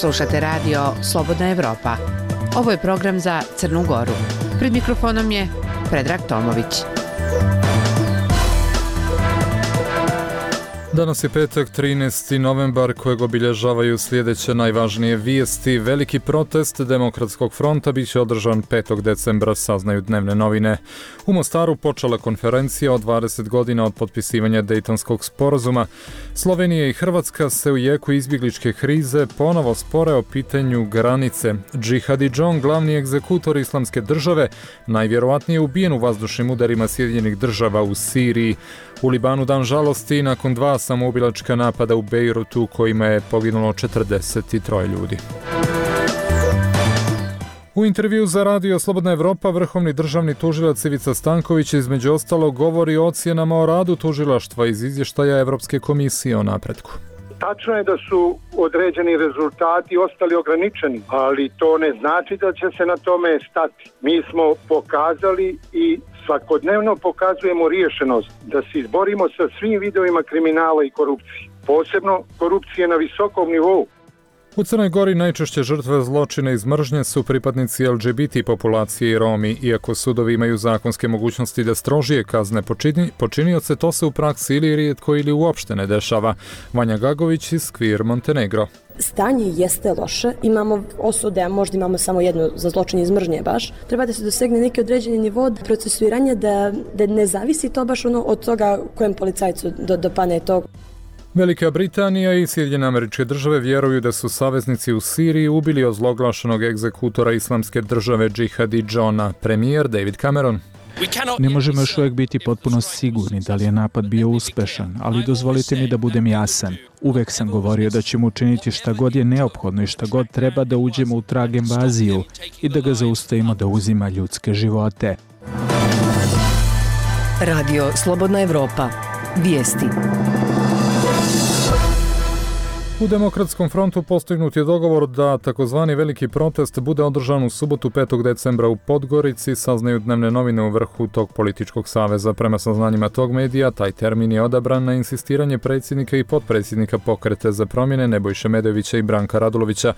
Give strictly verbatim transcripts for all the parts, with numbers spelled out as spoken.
Slušate radio Slobodna Evropa. Ovo je program za Crnu Goru. Pred mikrofonom je Predrag Tomović. Danas je petak, trinaesti novembar, kojeg obilježavaju sljedeće najvažnije vijesti. Veliki protest Demokratskog fronta bit će održan petog decembra, saznaju dnevne novine. U Mostaru počela konferencija o dvadeset godina od potpisivanja Dejtonskog sporazuma. Slovenija i Hrvatska se u jeku izbjegličke krize ponovo spore o pitanju granice. Džihadidžon, glavni egzekutor Islamske države, najvjerovatnije ubijen u vazdušnim udarima Sjedinjenih država u Siriji. U Libanu dan žalosti nakon dva samoubilačka napada u Bejrutu kojima je poginulo četrdeset tri ljudi. U intervju za radio Slobodna Evropa vrhovni državni tužilac Ivica Stanković između ostalog govori o ocjenama o radu tužilaštva iz izvještaja Evropske komisije o napretku. Tačno je da su određeni rezultati ostali ograničeni, ali to ne znači da će se na tome stati. Mi smo pokazali i svakodnevno pokazujemo riješenost da se izborimo sa svim vidovima kriminala i korupcije, posebno korupcije na visokom nivou. U Crnoj Gori najčešće žrtve zločina iz mržnje su pripadnici el dže be te populacije i Romi. Iako sudovi imaju zakonske mogućnosti da strožije kazne počini, počinioce, to se u praksi ili rijetko ili uopšte ne dešava. Vanja Gagović iz Queer Montenegro. Stanje jeste loše, imamo osude, a možda imamo samo jedno za zločin iz mržnje baš. Treba da se dosegne neki određeni nivo procesuiranja, da, da ne zavisi to baš ono od toga kojem policajcu do, dopane to. Velika Britanija i Sjedinjene Američke Države vjeruju da su saveznici u Siriji ubili ozloglašenog egzekutora Islamske države Džihadidžona. Premijer David Cameron. Ne možemo još uvijek biti potpuno sigurni da li je napad bio uspešan, ali dozvolite mi da budem jasan. Uvijek sam govorio da ćemo učiniti šta god je neophodno i šta god treba da uđemo u trag invaziju i da ga zaustavimo da uzima ljudske živote. Radio Slobodna Evropa. Vijesti. U Demokratskom frontu postignut je dogovor da takozvani veliki protest bude održan u subotu petog decembra u Podgorici, saznaju dnevne novine u vrhu tog političkog saveza. Prema saznanjima tog medija, taj termin je odabran na insistiranje predsjednika i potpredsjednika Pokreta za promjene Nebojše Medovića i Branka Radulovića.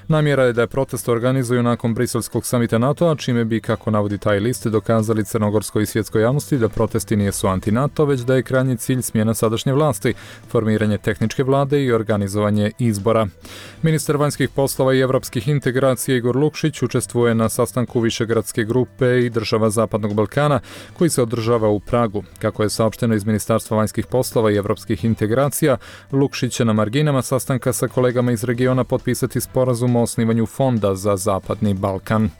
Namjera je da je protest organizuju nakon briselskog samita NATO-a, čime bi, kako navodi taj list, dokazali crnogorskoj i svjetskoj javnosti da protesti nisu anti-NATO, već da je krajnji cilj smjena sadašnje vlasti, formiranje tehničke vlade i organizovanje izbora. Ministar vanjskih poslova i evropskih integracija Igor Lukšić učestvuje na sastanku Višegradske grupe i država Zapadnog Balkana koji se održava u Pragu. Kako je saopšteno iz Ministarstva vanjskih poslova i evropskih integracija, Lukšić će na marginama sastanka sa kolegama iz regiona potpisati sporazum o osnivanju fonda za Zapadni Balkan.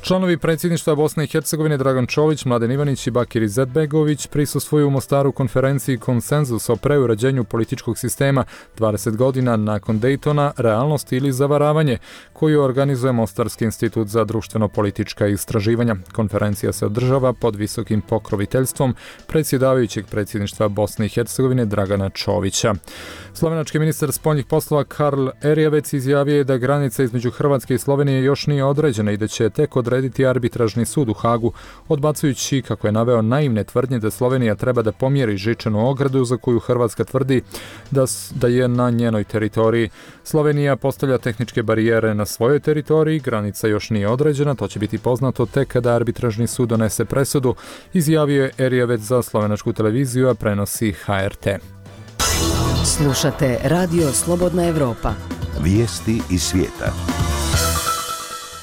Članovi predsjedništva Bosne i Hercegovine Dragan Čović, Mladen Ivanić i Bakir Izetbegović prisustvuju u Mostaru konferenciji Konsenzus o preuređenju političkog sistema dvadeset godina nakon Dejtona, realnost ili zavaravanje, koju organizuje Mostarski institut za društveno-politička istraživanja. Konferencija se održava pod visokim pokroviteljstvom predsjedavajućeg predsjedništva Bosne i Hercegovine Dragana Čovića. Slovenački ministar spoljnih poslova Karl Erjavec izjavio je da granica između Hrvatske i Slovenije još nije određena i da će tek odrediti arbitražni sud u Hagu, odbacujući, kako je naveo, naivne tvrdnje da Slovenija treba da pomjeri žičanu ogradu za koju Hrvatska tvrdi da, da je na njenoj teritoriji. Slovenija postavlja tehničke barijere na svojoj teritoriji, granica još nije određena, to će biti poznato tek kada arbitražni sud donese presudu, izjavio je Erjavec za slovenačku televiziju, a prenosi ha er te. Slušate Radio Slobodna Evropa. Vijesti iz svijeta.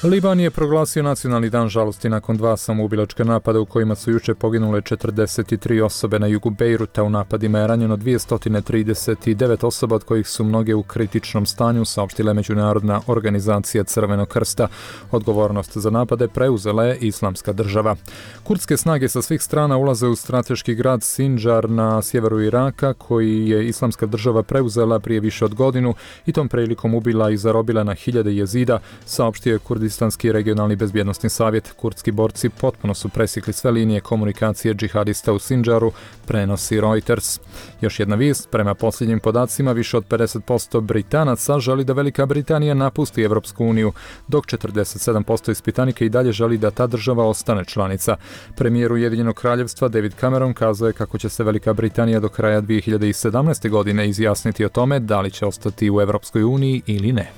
Liban je proglasio nacionalni dan žalosti nakon dva samoubilačka napada u kojima su jučer poginule četrdeset tri osobe. Na jugu Bejruta u napadima je ranjeno dvjesto trideset devet osoba, od kojih su mnoge u kritičnom stanju, saopštila je Međunarodna organizacija Crvenog krsta. Odgovornost za napade preuzela je Islamska država. Kurdske snage sa svih strana ulaze u strateški grad Sinjar na sjeveru Iraka, koji je Islamska država preuzela prije više od godinu i tom prilikom ubila i zarobila na hiljade jezida, saopštio je Kurdi Kurdistanski regionalni bezbjednosni savjet. Kurdski borci potpuno su presjekli sve linije komunikacije džihadista u Sinjaru, prenosi Reuters. Još jedna vijest, prema posljednjim podacima više od pedeset posto Britanaca želi da Velika Britanija napusti Evropsku uniju, dok četrdeset sedam posto ispitanika i dalje želi da ta država ostane članica. Premijer Ujedinjenog kraljevstva David Cameron kazao je kako će se Velika Britanija do kraja dvije hiljade sedamnaeste. godine izjasniti o tome da li će ostati u Evropskoj uniji ili ne.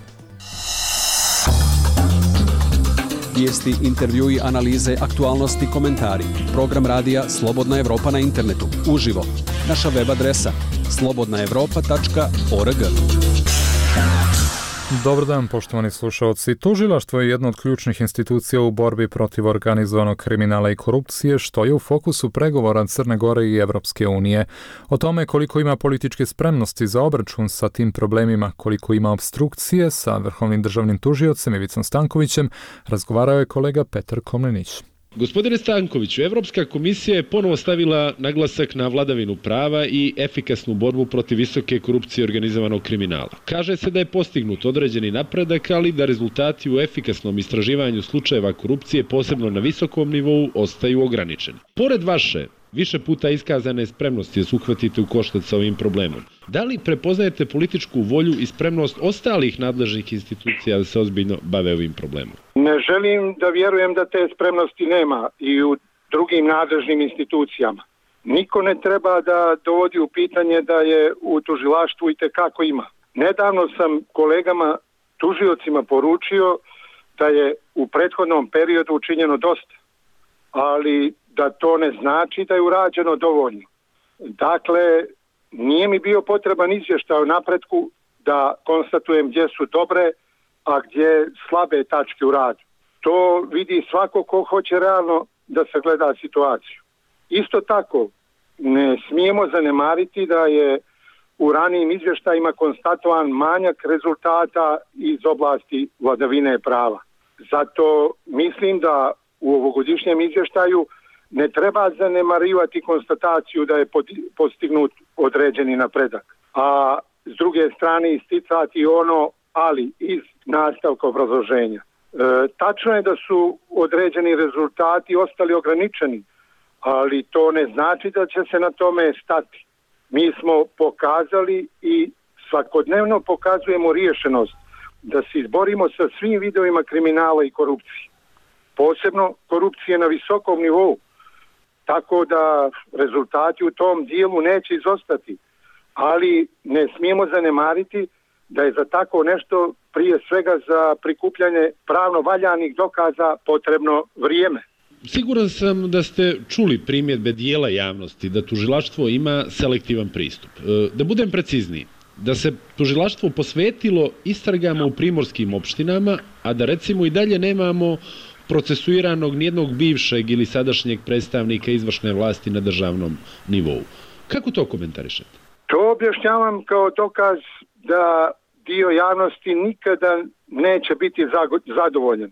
Vijesti, intervjui, analize, aktualnosti, komentari. Program radija Slobodna Evropa na internetu. Uživo. Naša web adresa slobodna evropa tačka org. Dobar dan, poštovani slušalci. Tužilaštvo je jedna od ključnih institucija u borbi protiv organizovanog kriminala i korupcije, što je u fokusu pregovora Crne Gore i Evropske unije. O tome koliko ima političke spremnosti za obračun sa tim problemima, koliko ima obstrukcije sa vrhovnim državnim tužiocem Ivicom Stankovićem, razgovarao je kolega Petar Komlenić. Gospodine Stankoviću, Evropska komisija je ponovo stavila naglasak na vladavinu prava i efikasnu borbu protiv visoke korupcije i organizovanog kriminala. Kaže se da je postignut određeni napredak, ali da rezultati u efikasnom istraživanju slučajeva korupcije, posebno na visokom nivou, ostaju ograničeni. Pored vaše više puta iskazane spremnosti da se uhvatite u koštac sa ovim problemom, da li prepoznajete političku volju i spremnost ostalih nadležnih institucija da se ozbiljno bave ovim problemom? Ne želim da vjerujem da te spremnosti nema i u drugim nadležnim institucijama. Niko ne treba da dovodi u pitanje da je u tužilaštvu i tekako ima. Nedavno sam kolegama tužiocima poručio da je u prethodnom periodu učinjeno dosta, ali da to ne znači da je urađeno dovoljno. Dakle, nije mi bio potreban izvještaj o napretku da konstatujem gdje su dobre, a gdje slabe tačke u radu. To vidi svako ko hoće realno da sagleda situaciju. Isto tako, ne smijemo zanemariti da je u ranijim izvještajima konstatovan manjak rezultata iz oblasti vladavine prava. Zato mislim da u ovogodišnjem izvještaju ne treba zanemarivati konstataciju da je postignut određeni napredak. A s druge strane isticati ono ali iz nastavka obrazloženja. E, tačno je da su određeni rezultati ostali ograničeni, ali to ne znači da će se na tome stati. Mi smo pokazali i svakodnevno pokazujemo riješenost da se izborimo sa svim vidovima kriminala i korupcije. Posebno korupcije na visokom nivou. Tako da rezultati u tom dijelu neće izostati. Ali ne smijemo zanemariti da je za tako nešto, prije svega za prikupljanje pravno valjanih dokaza, potrebno vrijeme. Siguran sam da ste čuli primjedbe dijela javnosti da tužilaštvo ima selektivan pristup. Da budem precizniji, da se tužilaštvo posvetilo istragama u primorskim opštinama, a da recimo i dalje nemamo procesuiranog nijednog bivšeg ili sadašnjeg predstavnika izvršne vlasti na državnom nivou. Kako to komentarišete? To objašnjavam kao dokaz da dio javnosti nikada neće biti zadovoljen.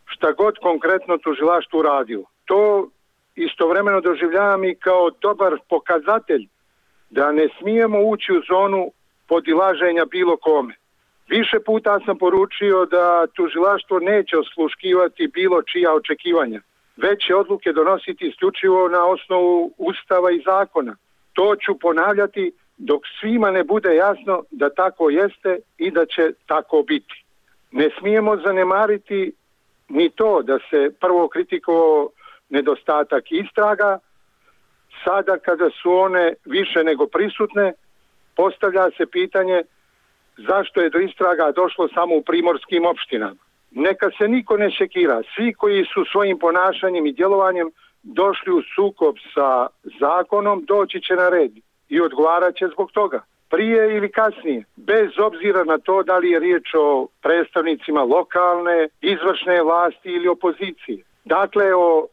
Šta god konkretno tužilaštvo uradilo. To istovremeno doživljavam i kao dobar pokazatelj da ne smijemo ući u zonu podilaženja bilo kome. Više puta sam poručio da tužilaštvo neće osluškivati bilo čija očekivanja, već će odluke donositi isključivo na osnovu Ustava i zakona. To ću ponavljati dok svima ne bude jasno da tako jeste i da će tako biti. Ne smijemo zanemariti ni to da se prvo kritikovao nedostatak istraga, sada kada su one više nego prisutne, postavlja se pitanje zašto je do istraga došlo samo u primorskim opštinama. Neka se niko ne šekira. Svi koji su svojim ponašanjem i djelovanjem došli u sukob sa zakonom, doći će na red i odgovarat će zbog toga. Prije ili kasnije, bez obzira na to da li je riječ o predstavnicima lokalne, izvršne vlasti ili opozicije. Dakle, o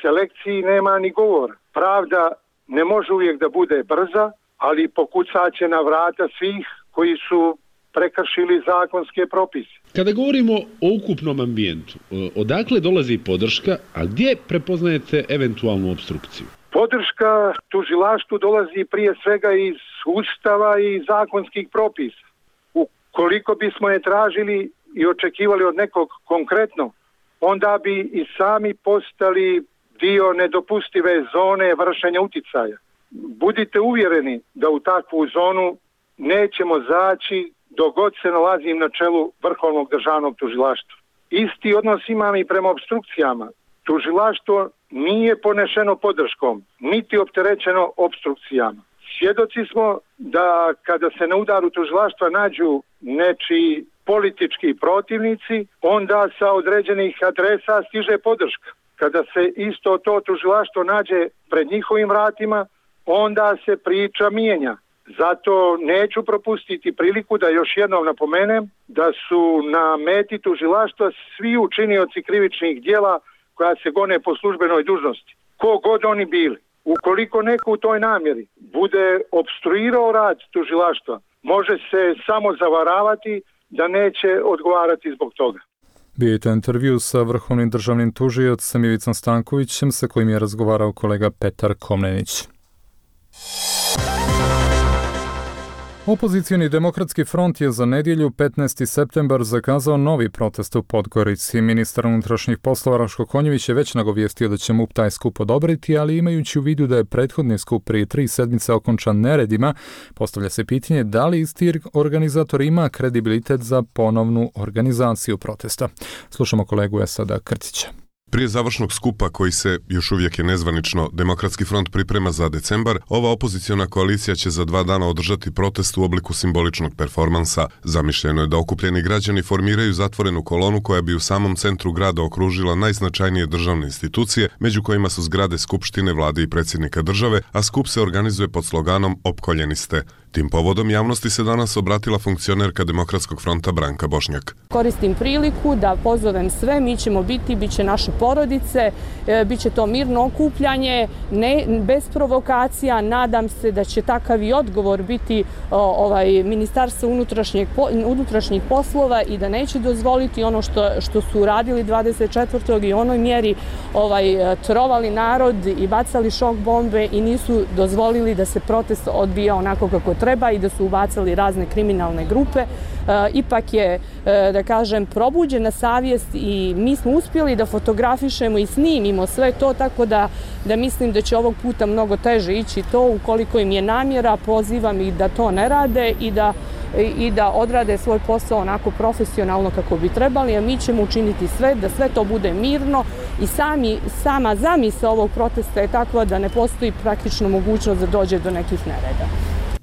selekciji nema ni govora. Pravda ne može uvijek da bude brza, ali pokucat će na vrata svih koji su prekršili zakonske propise. Kada govorimo o ukupnom ambijentu, odakle dolazi podrška, a gdje prepoznajete eventualnu obstrukciju? Podrška tužilaštvu dolazi prije svega iz Ustava i zakonskih propisa. Ukoliko bismo je tražili i očekivali od nekog konkretno, onda bi i sami postali dio nedopustive zone vršenja uticaja. Budite uvjereni da u takvu zonu nećemo zaći dok god se nalazim na čelu Vrhovnog državnog tužilaštva. Isti odnos imam i prema obstrukcijama. Tužilaštvo nije ponešeno podrškom, niti opterećeno obstrukcijama. Svjedoci smo da kada se na udaru tužilaštva nađu nečiji politički protivnici, onda sa određenih adresa stiže podrška. Kada se isto to tužilaštvo nađe pred njihovim vratima, onda se priča mijenja. Zato neću propustiti priliku da još jednom napomenem da su na meti tužilaštva svi učinioci krivičnih djela koja se gone po službenoj dužnosti. Ko god oni bili. Ukoliko neko u toj namjeri bude opstruirao rad tužilaštva, može se samo zavaravati da neće odgovarati zbog toga. Bio je to intervju sa vrhovnim državnim tužiocem Ivicom Stankovićem, sa kojim je razgovarao kolega Petar Komnenić. Opozicioni demokratski front je za nedjelju petnaesti septembar zakazao novi protest u Podgorici. Ministar unutrašnjih poslova Raško Konjević je već nagovijestio da će M U P taj skup odobriti, ali imajući u vidu da je prethodni skup prije tri sedmice okončan neredima, postavlja se pitanje da li isti organizator ima kredibilitet za ponovnu organizaciju protesta. Slušamo kolegu Esada Krcića. Prije završnog skupa, koji se, još uvijek je nezvanično, Demokratski front priprema za decembar, ova opoziciona koalicija će za dva dana održati protest u obliku simboličnog performansa. Zamišljeno je da okupljeni građani formiraju zatvorenu kolonu koja bi u samom centru grada okružila najznačajnije državne institucije, među kojima su zgrade Skupštine, Vlade i predsjednika države, a skup se organizuje pod sloganom Opkoljeni ste. Tim povodom javnosti se danas obratila funkcionerka Demokratskog fronta Branka Bošnjak. Koristim priliku da pozovem sve, mi ćemo biti, bit će naše porodice, e, bit će to mirno okupljanje, ne, bez provokacija. Nadam se da će takav i odgovor biti o, ovaj, Ministarstvo unutrašnjih poslova i da neće dozvoliti ono što, što su uradili dvadeset četvrtog i u onoj mjeri ovaj, trovali narod i bacali šok bombe i nisu dozvolili da se protest odbija onako kako treba i da su ubacali razne kriminalne grupe. E, ipak je, e, da kažem, probuđena savjest i mi smo uspjeli da fotografišemo i snimimo sve to, tako da, da mislim da će ovog puta mnogo teže ići to. Ukoliko im je namjera, pozivam ih da to ne rade i da, i da odrade svoj posao onako profesionalno kako bi trebali, a mi ćemo učiniti sve da sve to bude mirno i sami, sama zamisao ovog protesta je takva da ne postoji praktično mogućnost da dođe do nekih nereda.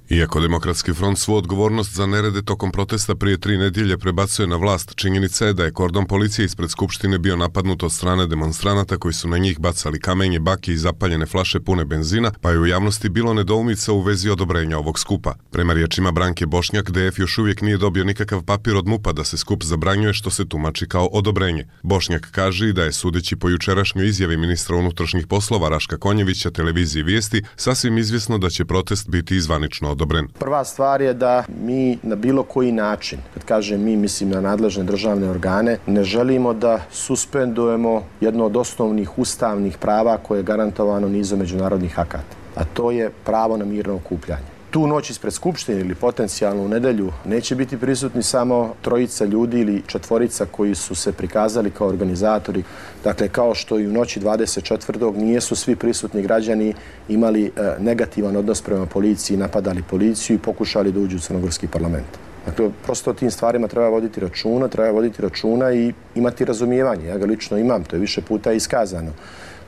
Iako Demokratski front svu odgovornost za nerede tokom protesta prije tri nedjelje prebacuje na vlast, činjenica je da je kordon policije ispred Skupštine bio napadnut od strane demonstranata koji su na njih bacali kamenje, baklje i zapaljene flaše pune benzina, pa je u javnosti bilo nedoumica u vezi odobrenja ovog skupa. Prema riječima Branke Bošnjak, D F još uvijek nije dobio nikakav papir od M U P-a da se skup zabranjuje, što se tumači kao odobrenje. Bošnjak kaže i da je, sudeći po jučerašnjoj izjavi ministra unutrašnjih poslova Raška Konjevića televiziji Vijesti, sasvim izvjesno da će protest biti izvanično odobren. Prva stvar je da mi na bilo koji način, kad kažem mi, mislim na nadležne državne organe, ne želimo da suspendujemo jedno od osnovnih ustavnih prava koje je garantovano nizom međunarodnih akata, a to je pravo na mirno okupljanje. Tu noć ispred Skupštine ili potencijalno u nedjelju neće biti prisutni samo trojica ljudi ili četvorica koji su se prikazali kao organizatori. Dakle, kao što i u noći dvadeset četvrtog nijesu svi prisutni građani imali e, negativan odnos prema policiji, napadali policiju i pokušali da uđu u crnogorski parlament. Dakle, prosto o tim stvarima treba voditi računa, treba voditi računa i imati razumijevanje. Ja ga lično imam, to je više puta iskazano,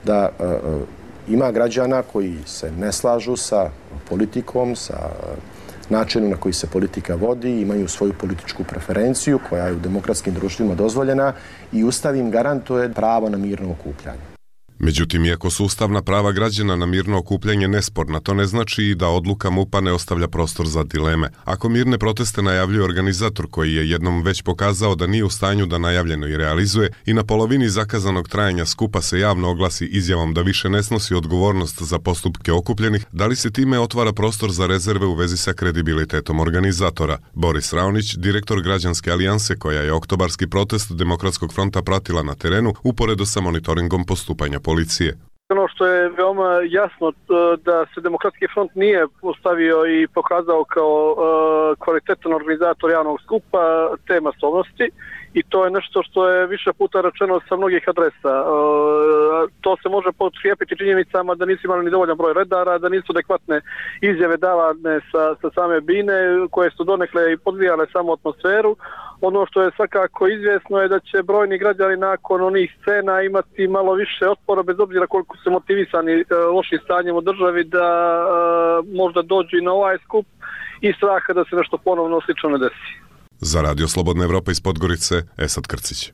da e, ima građana koji se ne slažu sa politikom, sa načinom na koji se politika vodi, imaju svoju političku preferenciju koja je u demokratskim društvima dozvoljena i Ustav im garantuje pravo na mirno okupljanje. Međutim, iako su ustavna prava građana na mirno okupljanje nesporna, to ne znači i da odluka M U P-a ne ostavlja prostor za dileme. Ako mirne proteste najavljuje organizator koji je jednom već pokazao da nije u stanju da najavljeno i realizuje i na polovini zakazanog trajanja skupa se javno oglasi izjavom da više ne snosi odgovornost za postupke okupljenih, da li se time otvara prostor za rezerve u vezi sa kredibilitetom organizatora? Boris Raonić, direktor Građanske alijanse koja je oktobarski protest Demokratskog fronta pratila na terenu, uporedo sa monitoringom postupanja policije. Ono što je veoma jasno da se Demokratski front nije postavio i pokazao kao uh, kvalitetan organizator javnog skupa te masovnosti i to je nešto što je više puta rečeno sa mnogih adresa. Uh, to se može potkrijepiti činjenicama da nisu imali ni dovoljan broj redara, da nisu adekvatne izjave davane sa, sa same bine koje su donekle i podvijale samo atmosferu. Ono što je svakako izvjesno je da će brojni građani nakon onih scena imati malo više otpora, bez obzira koliko su motivisani e, lošim stanjem u državi, da e, možda dođu i na ovaj skup i straha da se nešto ponovno slično ne desi. Za Radio Slobodna Evropa iz Podgorice, Esad Krcić.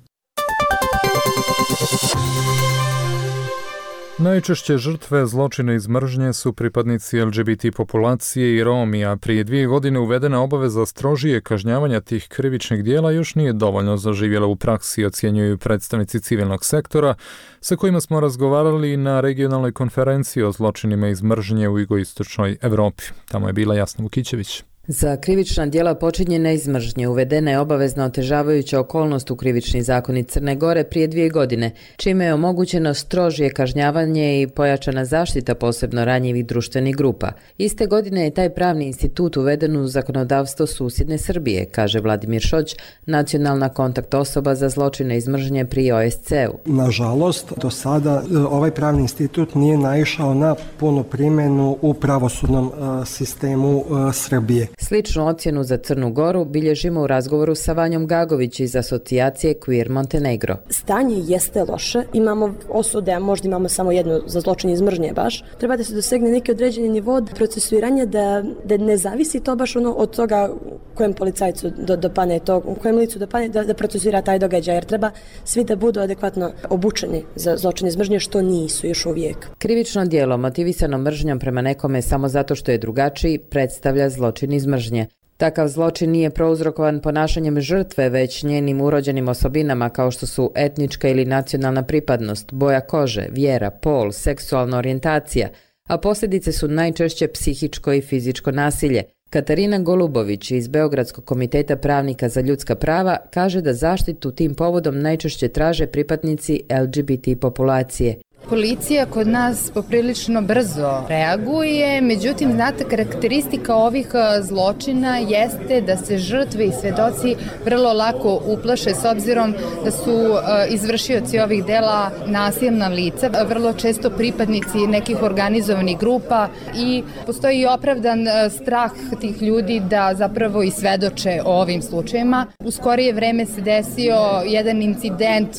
Najčešće žrtve zločina iz mržnje su pripadnici L G B T populacije i Romi, a prije dvije godine uvedena obaveza strožije kažnjavanja tih krivičnih dijela još nije dovoljno zaživjela u praksi, ocjenjuju predstavnici civilnog sektora, sa kojima smo razgovarali na regionalnoj konferenciji o zločinima iz mržnje u jugoistočnoj Evropi. Tamo je bila Jasna Vukićević. Za krivična djela počinjena iz mržnje uvedena je obavezna otežavajuća okolnost u krivični zakonik Crne Gore prije dvije godine, čime je omogućeno strožije kažnjavanje i pojačana zaštita posebno ranjivih društvenih grupa. Iste godine je taj pravni institut uveden u zakonodavstvo susjedne Srbije, kaže Vladimir Šoć, nacionalna kontakt osoba za zločine iz mržnje pri O S C U. Nažalost, do sada ovaj pravni institut nije naišao na punu primjenu u pravosudnom uh, sistemu uh, Srbije. Sličnu ocjenu za Crnu Goru bilježimo u razgovoru sa Vanjom Gagović iz asocijacije Queer Montenegro. Stanje jeste loše, imamo osude, a možda imamo samo jednu za zločin iz mržnje baš. Treba da se dosegne neki određeni nivo procesuiranja da, da ne zavisi to baš ono od toga kojem policajcu do, dopane to, kojem licu dopane da, da procesuira taj događaj, jer treba svi da budu adekvatno obučeni za zločin iz mržnje, što nisu još uvijek. Krivično djelo motivisano mržnjom prema nekome samo zato što je drugačiji predstavlja zločin iz mržnje. Takav zločin nije prouzrokovan ponašanjem žrtve, već njenim urođenim osobinama kao što su etnička ili nacionalna pripadnost, boja kože, vjera, pol, seksualna orijentacija, a posljedice su najčešće psihičko i fizičko nasilje. Katarina Golubović iz Beogradskog komiteta pravnika za ljudska prava kaže da zaštitu tim povodom najčešće traže pripadnici L G B T populacije. Policija kod nas poprilično brzo reaguje, međutim, znate, karakteristika ovih zločina jeste da se žrtve i svedoci vrlo lako uplaše s obzirom da su izvršioci ovih dela nasilna lica, vrlo često pripadnici nekih organizovanih grupa i postoji i opravdan strah tih ljudi da zapravo i svedoče o ovim slučajima. U skorije vreme se desio jedan incident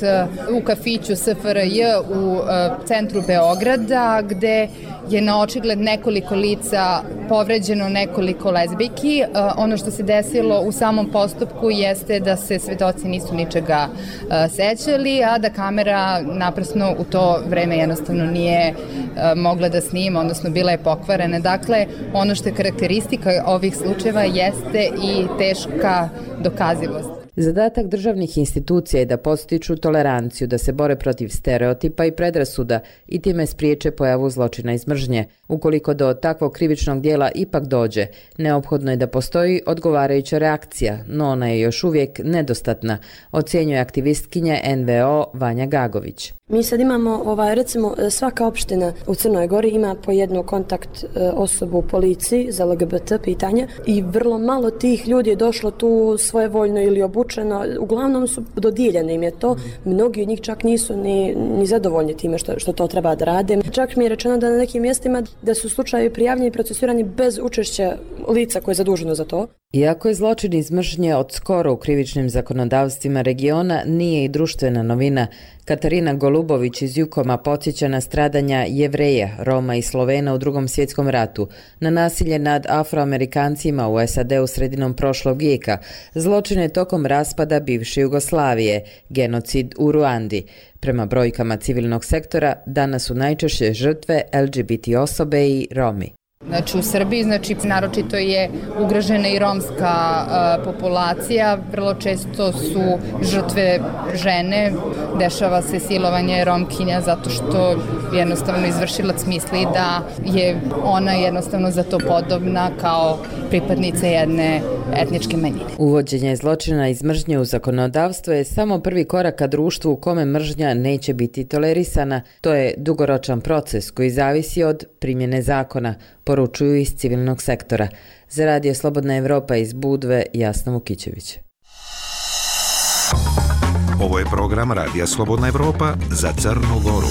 u kafiću S F R J u centru Beograda, gde je na očigled nekoliko lica povređeno nekoliko lezbijki. Ono što se desilo u samom postupku jeste da se svedoci nisu ničega sećali, a da kamera naprasno u to vreme jednostavno nije mogla da snima, odnosno bila je pokvarena. Dakle, ono što je karakteristika ovih slučajeva jeste i teška dokazivost. Zadatak državnih institucija je da podstiču toleranciju, da se bore protiv stereotipa i predrasuda i time spriječe pojavu zločina iz mržnje. Ukoliko do takvog krivičnog dijela ipak dođe, neophodno je da postoji odgovarajuća reakcija, no ona je još uvijek nedostatna, ocjenjuje aktivistkinja N V O Vanja Gagović. Mi sad imamo, ovaj, recimo, svaka opština u Crnoj Gori ima po jednu kontakt osobu u policiji za L G B T pitanja i vrlo malo tih ljudi je došlo tu svojevoljno ili obučeno, uglavnom su dodijeljeni im je to, mnogi od njih čak nisu ni, ni zadovoljni time što, što to treba da rade. Čak mi je rečeno da na nekim mjestima da su slučajevi prijavljeni i procesuirani bez učešća lica koje je zaduženo za to. Iako je zločin iz mržnje od skoro u krivičnim zakonodavstvima regiona, nije i društvena novina. Katarina Golubović iz Jukoma podsjeća na stradanja Jevreja, Roma i Slovena u Drugom svjetskom ratu, na nasilje nad Afroamerikancima u S A D u sredinom prošlog vijeka, zločine tokom raspada bivše Jugoslavije, genocid u Ruandi. Prema brojkama civilnog sektora, danas su najčešće žrtve L G B T osobe i Romi. Znači u Srbiji, znači naročito je ugrožena i romska uh, populacija, vrlo često su žrtve žene, dešava se silovanje romkinja zato što jednostavno izvršilac misli da je ona jednostavno za to podobna kao pripadnica jedne etničke manjine. Uvođenje zločina iz mržnje u zakonodavstvo je samo prvi korak ka društvu u kome mržnja neće biti tolerisana. To je dugoročan proces koji zavisi od primjene zakona, poručuju iz civilnog sektora. Za Radio Slobodna Evropa iz Budve, Jasna Vukićević. Ovo je program Radija Slobodna Evropa za Crnu Goru.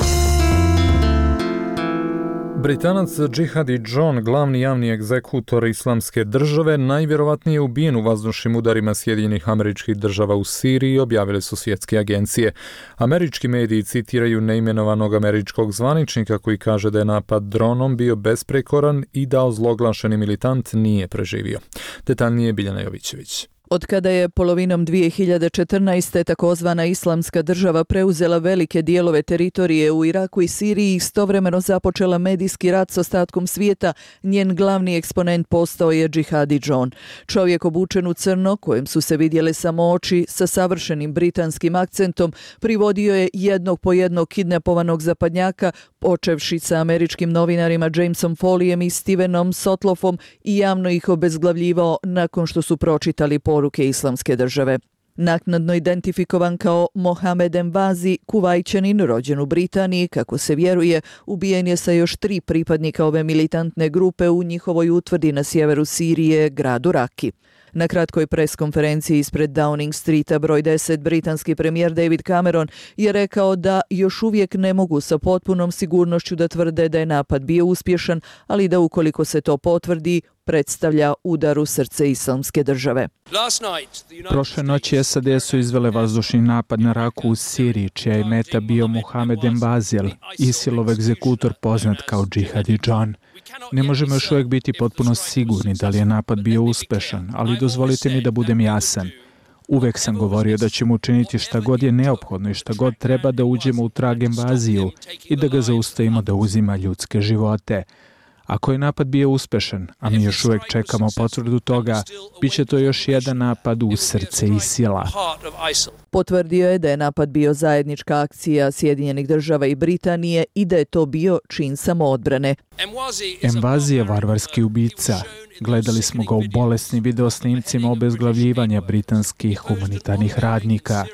Britanac Džihadi John, glavni javni egzekutor Islamske države, najvjerovatnije ubijen u vazdušnim udarima Sjedinjenih Američkih Država u Siriji, objavile su svjetske agencije. Američki mediji citiraju neimenovanog američkog zvaničnika koji kaže da je napad dronom bio besprekoran i da ozloglašeni militant nije preživio. Detaljnije Biljana Jovićević. Od kada je polovinom dvije hiljade četrnaeste. takozvana Islamska država preuzela velike dijelove teritorije u Iraku i Siriji i istovremeno započela medijski rat s ostatkom svijeta, njen glavni eksponent postao je Džihadi John. Čovjek obučen u crno, kojem su se vidjele samo oči, sa savršenim britanskim akcentom, privodio je jednog po jednog kidnapovanog zapadnjaka, počevši sa američkim novinarima Jamesom Foleyem i Stevenom Sotloffom, i javno ih obezglavljivao nakon što su pročitali poruke Islamske države. Naknadno identifikovan kao Mohamed Envazi, Kuvajćanin rođen u Britaniji, kako se vjeruje, ubijen je sa još tri pripadnika ove militantne grupe u njihovoj utvrdi na sjeveru Sirije, gradu Raki. Na kratkoj preskonferenciji ispred Downing Streeta broj deset, britanski premijer David Cameron je rekao da još uvijek ne mogu sa potpunom sigurnošću da tvrde da je napad bio uspješan, ali da ukoliko se to potvrdi, predstavlja udar u srce Islamske države. Prošle noći S A D su izvele vazdušni napad na Raku u Siriji, čija je meta bio Mohamed Embazijel, ISIL-ov egzekutor poznat kao Džihadi John. Ne možemo još uvijek biti potpuno sigurni da li je napad bio uspešan, ali dozvolite mi da budem jasan. Uvek sam govorio da ćemo učiniti šta god je neophodno i šta god treba da uđemo u trag Embaziju i da ga zaustavimo da uzima ljudske živote. Ako je napad bio uspešan, a mi još uvijek čekamo potvrdu toga, bit će to još jedan napad u srce ISIL-a. Potvrdio je da je napad bio zajednička akcija Sjedinjenih država i Britanije i da je to bio čin samoodbrane. Envazi je varvarski ubica. Gledali smo ga u bolesnim videosnimcima obezglavljivanja britanskih humanitarnih radnika.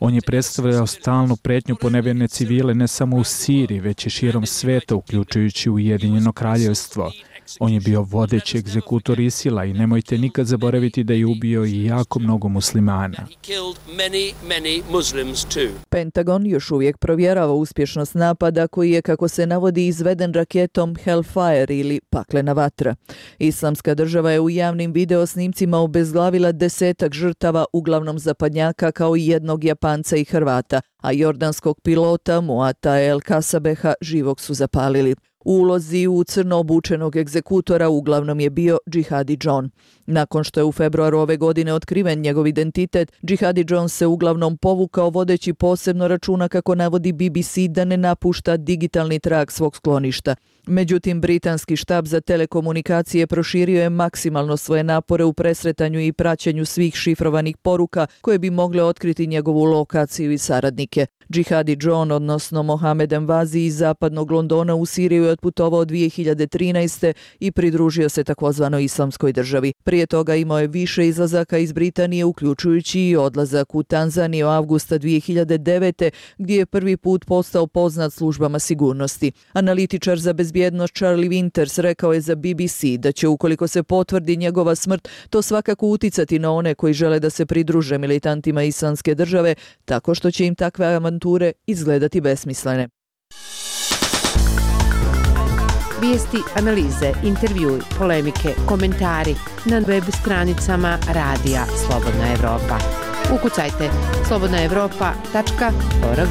On je predstavljao stalnu pretnju po nevjerne civile ne samo u Siriji, već i širom sveta, uključujući Ujedinjeno kraljevstvo. On je bio vodeći egzekutor ISIL-a i nemojte nikad zaboraviti da je ubio i jako mnogo muslimana. Pentagon još uvijek provjerava uspješnost napada koji je, kako se navodi, izveden raketom Hellfire ili paklena vatra. Islamska država je u javnim videosnimcima obezglavila desetak žrtava, uglavnom zapadnjaka, kao i jednog Japanca i Hrvata, a jordanskog pilota Muata El Kasabeha živog su zapalili. U ulozi u crno obučenog egzekutora uglavnom je bio Džihadi John. Nakon što je u februaru ove godine otkriven njegov identitet, Džihadi John se uglavnom povukao, vodeći posebno računa, kako navodi B B C, da ne napušta digitalni trag svog skloništa. Međutim, britanski štab za telekomunikacije proširio je maksimalno svoje napore u presretanju i praćenju svih šifrovanih poruka koje bi mogle otkriti njegovu lokaciju i saradnike. Džihadi John, odnosno Mohamed Envazi, iz zapadnog Londona u Siriju je otputovao dvije hiljade trinaeste. i pridružio se takozvanoj Islamskoj državi. Prije toga imao je više izlazaka iz Britanije, uključujući i odlazak u Tanzaniju avgusta dvije hiljade devete. gdje je prvi put postao poznat službama sigurnosti. Analitičar za bezbjednost Charlie Winters rekao je za B B C da će, ukoliko se potvrdi njegova smrt, to svakako uticati na one koji žele da se pridruže militantima Islamske države, tako što će im takve avanture izgledati besmislene. Vijesti, analize, intervjui, polemike, komentari na web stranicama Radija Slobodna Evropa. Ukucajte slobodna evropa tačka org.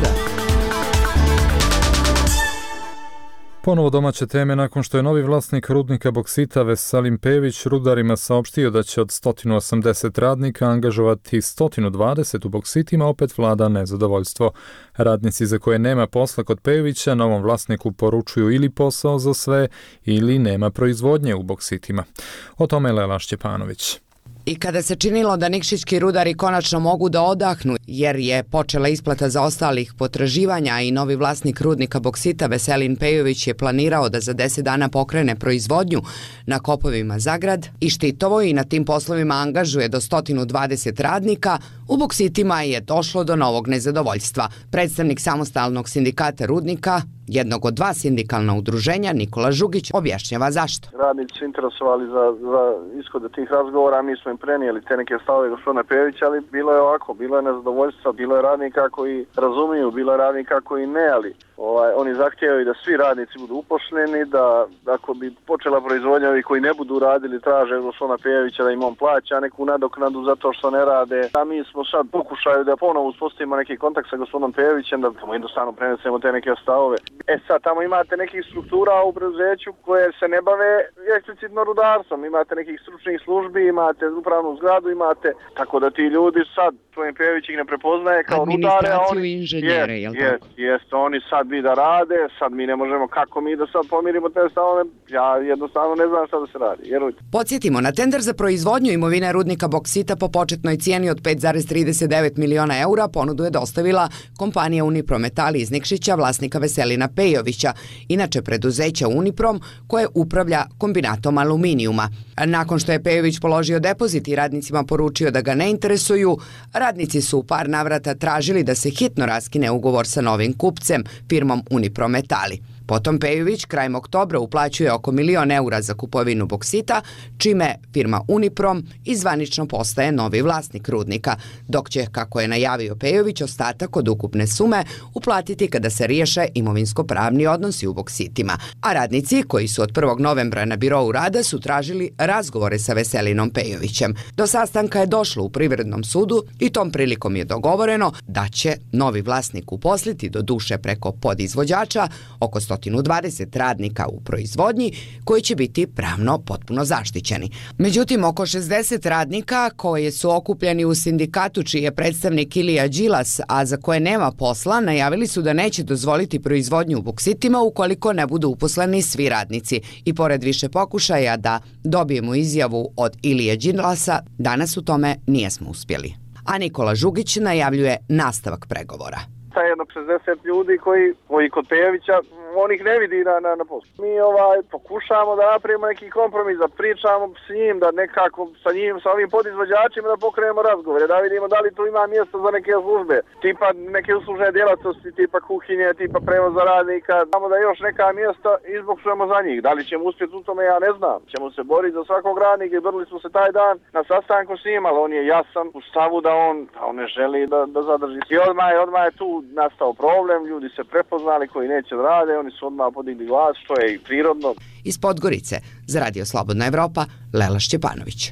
Ponovo domaće teme. Nakon što je novi vlasnik rudnika boksita Veselin Pejović rudarima saopštio da će od sto osamdeset radnika angažovati sto dvadeset u boksitima, opet vlada nezadovoljstvo. Radnici za koje nema posla kod Pejovića novom vlasniku poručuju ili posao za sve ili nema proizvodnje u boksitima. O tome je Lela Šćepanović. I kada se činilo da nikšićki rudari konačno mogu da odahnu, jer je počela isplata zaostalih potraživanja i novi vlasnik rudnika boksita Veselin Pejović je planirao da za deset dana pokrene proizvodnju na kopovima za grad i Štitovo i na tim poslovima angažuje do sto dvadeset radnika, u boksitima je došlo do novog nezadovoljstva. Predstavnik samostalnog sindikata rudnika, jednog od dva sindikalna udruženja, Nikola Žugić, objašnjava zašto. Radnici su interesovali za, za ishode tih razgovora, mi smo im prenijeli te neke stavove gospodina Pejovića, ali bilo je ovako, bilo je nezadovoljstva, bilo je radnika koji razumiju, bilo je radnika koji ne, ali Ovaj, oni zahtijevaju da svi radnici budu uposleni, da ako bi počela proizvodnja, ovi koji ne budu radili traže od gospodina Pejovića da im on plaća neku nadoknadu zato što ne rade. A mi smo sad pokušaju da ponovo uspostavimo neki kontakt sa gospodinom Pejovićem, da tamo jednostavno prenesemo te neke stavove. E sad, tamo imate nekih struktura u preduzeću koje se ne bave eksplicitno rudarstvom. Imate nekih stručnih službi, imate upravnu zgradu, imate, tako da ti ljudi sad, gospodin Pejović ih ne prepoznaje kao rudare, a oni... inženjere, jest, jel jest, jest, oni sad bi da rade, sad mi ne možemo, kako mi da sad pomirimo te stavove, ja jednostavno ne znam šta da se radi, vjerujte. Podsjetimo, na tender za proizvodnju imovine rudnika boksita po početnoj cijeni od pet zarez trideset devet miliona eura ponudu je dostavila kompanija Uniprometal iz Nikšića, vlasnika Veselina Pejovića, inače preduzeća Uniprom koje upravlja kombinatom aluminijuma. Nakon što je Pejović položio depozit i radnicima poručio da ga ne interesuju, radnici su u par navrata tražili da se hitno raskine ugovor sa novim kupcem, firmom Uniprometali. Potom Pejović krajem oktobra uplaćuje oko milion eura za kupovinu boksita, čime firma Uniprom izvanično postaje novi vlasnik rudnika, dok će, kako je najavio Pejović, ostatak od ukupne sume uplatiti kada se riješe imovinsko-pravni odnosi u boksitima. A radnici, koji su od prvog novembra na birou rada, su tražili razgovore sa Veselinom Pejovićem. Do sastanka je došlo u Privrednom sudu i tom prilikom je dogovoreno da će novi vlasnik uposliti, do duše preko podizvođača, oko sto dvadeset radnika u proizvodnji koji će biti pravno potpuno zaštićeni. Međutim, oko šezdeset radnika koji su okupljeni u sindikatu čiji je predstavnik Ilija Đilas, a za koje nema posla, najavili su da neće dozvoliti proizvodnju u boksitima ukoliko ne budu uposleni svi radnici. I pored više pokušaja da dobijemo izjavu od Ilije Đilasa, danas u tome nijesmo uspjeli. A Nikola Žugić najavljuje nastavak pregovora. Jedno šezdeset ljudi koji, koji kod Pejovića, on ih ne vidi na, na, na poslu. Mi ovaj, pokušamo da napravimo neki kompromis, da pričamo s njim, da nekako sa njim, sa ovim podizvođačima da pokrenemo razgovore, da vidimo da li tu ima mjesto za neke službe, tipa neke uslužne djelatnosti, tipa kuhinje, tipa prevoza radnika, znamo da je još neka mjesta izbokšujemo za njih. Da li ćemo uspjeti u tome, ja ne znam. Ćemo se boriti za svakog radnika i borili smo se taj dan na sastanku s njim, ali on je jasan u stavu da on, da on ne želi da, da zadrži. I odmah je, odmah je tu nastao problem, ljudi se prepoznali koji neće da rade, oni su odmah podigli glas, što je i prirodno. Iz Podgorice, za Radio Slobodna Evropa, Lela Šćepanović.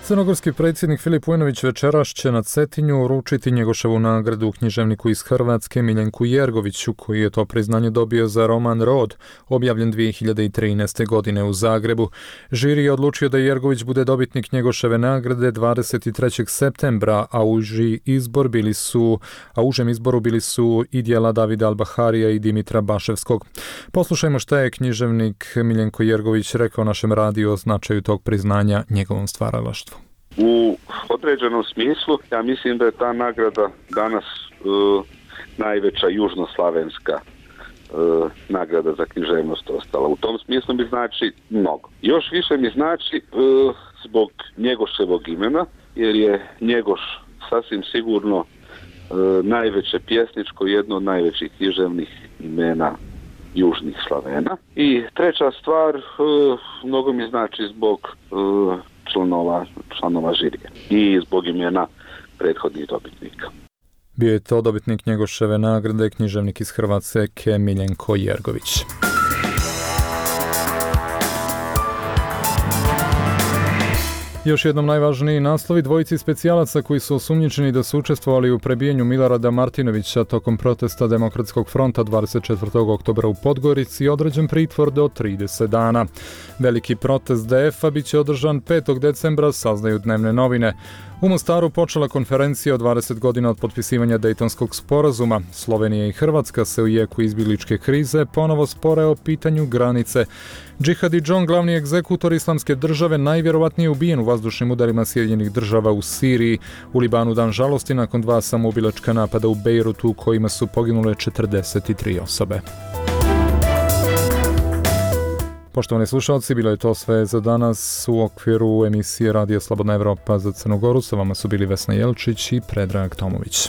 Crnogorski predsjednik Filip Vujnović večeras će na Cetinju uručiti Njegoševu nagradu književniku iz Hrvatske Miljenku Jergoviću, koji je to priznanje dobio za roman Rod, objavljen dvije hiljade trinaeste. godine u Zagrebu. Žiri je odlučio da Jergović bude dobitnik Njegoševe nagrade dvadeset trećeg septembra, a uži izbor bili su, a užem izboru bili su i djela Davida Albaharija i Dimitra Baševskog. Poslušajmo šta je književnik Miljenko Jergović rekao našem radiju o značaju tog priznanja njegovom stvaralaštvu. U određenom smislu, ja mislim da je ta nagrada danas uh, najveća južnoslavenska uh, nagrada za književnost ostala. U tom smislu mi znači mnogo. Još više mi znači uh, zbog Njegoševog imena, jer je Njegoš sasvim sigurno uh, najveće pjesničko, jedno od najvećih književnih imena južnih Slavena. I treća stvar, uh, mnogo mi znači zbog uh, članova, članova žirije i zbog imena prethodnih dobitnika. Bio je to dobitnik Njegoševe nagrade, književnik iz Hrvatske Miljenko Jergović. Još jednom najvažniji naslovi: dvojici specijalaca koji su osumnjičeni da su učestvovali u prebijenju Milorada Martinovića tokom protesta Demokratskog fronta dvadeset četvrtog oktobra u Podgorici određen pritvor do trideset dana. Veliki protest D F-a bit će održan petog decembra, saznaju dnevne novine. U Mostaru počela konferencija o dvadeset godina od potpisivanja Dejtonskog sporazuma. Slovenija i Hrvatska se u jeku izbjegličke krize ponovo spore o pitanju granice. Džihadi John, glavni egzekutor Islamske države, najvjerovatnije ubijen u vazdušnim udarima Sjedinjenih država u Siriji. U Libanu dan žalosti nakon dva samoubilačka napada u Bejrutu u kojima su poginule četrdeset tri osobe. Poštovani slušalci, bilo je to sve za danas u okviru emisije Radija Slobodna Evropa za Crnu Goru. Sa vama su bili Vesna Jelčić i Predrag Tomović.